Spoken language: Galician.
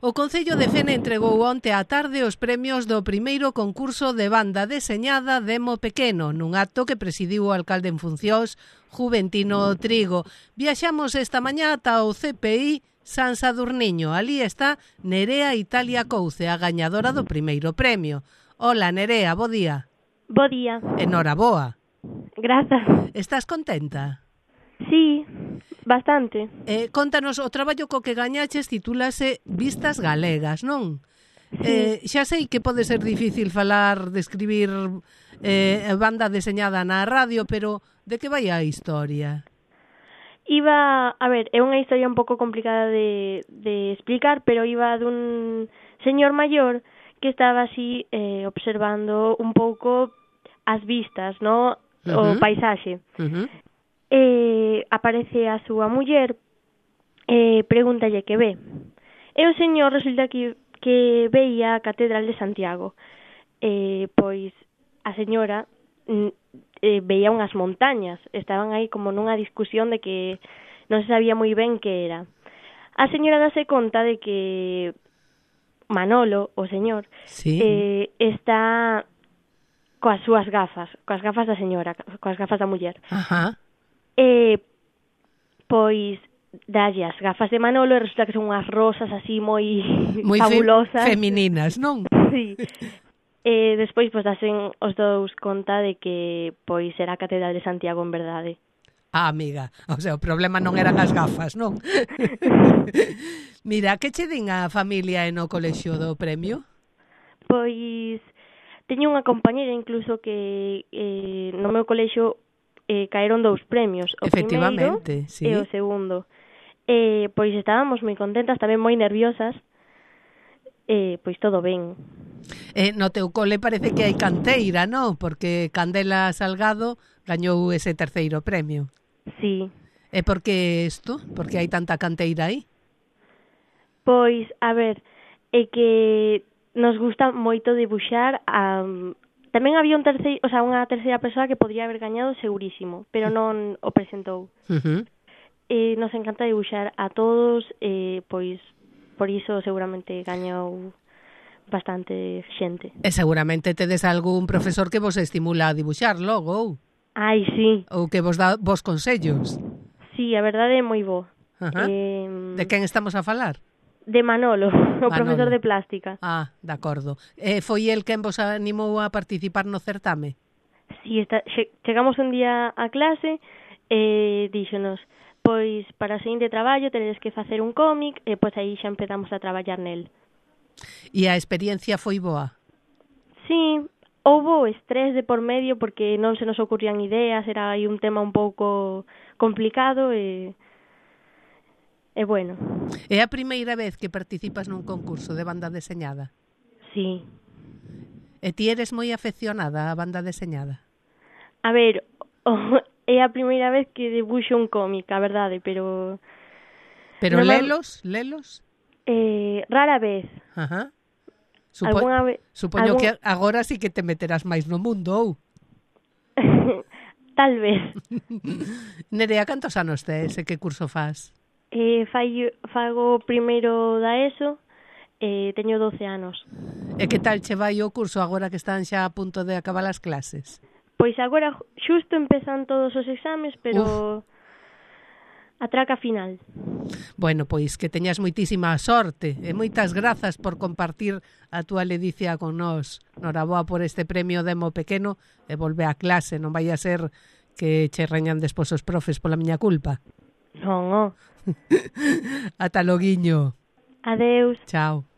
O Concello de Fene entregou onte á tarde os premios do primeiro concurso de banda deseñada Demo Pequeno, nun acto que presidiu o alcalde en funcións, Juventino Trigo. Viaxamos esta mañá ata o CPI San Sadurniño. Ali está Nerea Italia Couce, a gañadora do primeiro premio. Hola, Nerea, bo día. Bo día. Enhoraboa. Grazas. Estás contenta? Sí, bastante. Contanos, o traballo co que gañaches titúlase Vistas Galegas, non? Sí. Xa sei que pode ser difícil falar, describir banda deseñada na radio, pero de que vai a historia? A ver, é unha historia un pouco complicada de explicar, pero iba dun señor maior que estaba así observando un pouco as vistas, no? O paisaxe. Aparece a súa muller, pregúntalle que ve. E o señor resulta que veía a Catedral de Santiago. Pois a señora veía unhas montañas, estaban aí como nunha discusión de que non se sabía moi ben que era. A señora dase conta de que Manolo, o señor, sí, está coas súas gafas da señora, coas gafas da muller. Ajá. Pois dalle as gafas de Manolo e resulta que son unhas rosas así moi fabulosas. Femininas, non? Sí. Despois pois dasen os dous conta de que pois era a Catedral de Santiago en verdade. Ah, amiga, o sea, o problema non eran as gafas, non? Mira, que che din a familia e no colexio do premio? Pois teño unha compañera incluso que no meu colexio caeron 2 premios, o primeiro sí. E o segundo. Pois estábamos moi contentas, tamén moi nerviosas, pois todo ben. No teu cole parece que hai canteira, non? Porque Candela Salgado gañou ese terceiro premio. Sí. E por que isto? Por que hai tanta canteira aí? Pois, a ver, é que nos gusta moito dibuixar. Tamén había unha terceira persoa que podría haber gañado segurísimo, pero non o presentou. Nos encanta dibuixar a todos, pois por iso seguramente gañou bastante xente. E seguramente tedes algún profesor que vos estimula a dibuixar logo, ou? Ai, sí. Ou que vos dá vos consellos. Sí, a verdade é moi bo. De quen estamos a falar? De Manolo, o profesor de plástica. Ah, de acordo. Foi el quen vos animou a participar no certame? Sí, chegamos un día a clase e díxonos, pois para o seguinte traballo teredes que facer un cómic e pois aí xa empezamos a traballar nel. E a experiencia foi boa? Sí, houbo estrés de por medio porque non se nos ocurrían ideas, era aí un tema un pouco complicado e bueno. É a primeira vez que participas nun concurso de banda deseñada? Sí. E ti eres moi afeccionada á banda deseñada? A ver, é a primeira vez que dibuixo un cómic, a verdade, pero... Pero lelos? Rara vez. Ajá. Supoño que agora sí que te meterás máis no mundo, ou? Tal vez. Nerea, cantos anos tes e que curso fas? Fago primeiro da ESO, teño 12 anos. E que tal che vai o curso agora que están xa a punto de acabar as clases? Pois agora xusto empezan todos os exames, pero a traca final. Bueno, pois que teñas moitísima sorte e moitas grazas por compartir a túa ledicia con nós. Noraboa por este premio Demo Pequeno e volve a clase, non vai a ser que che reñan despois os profes pola miña culpa. Non. Ata loguiño. Adeus. Chao.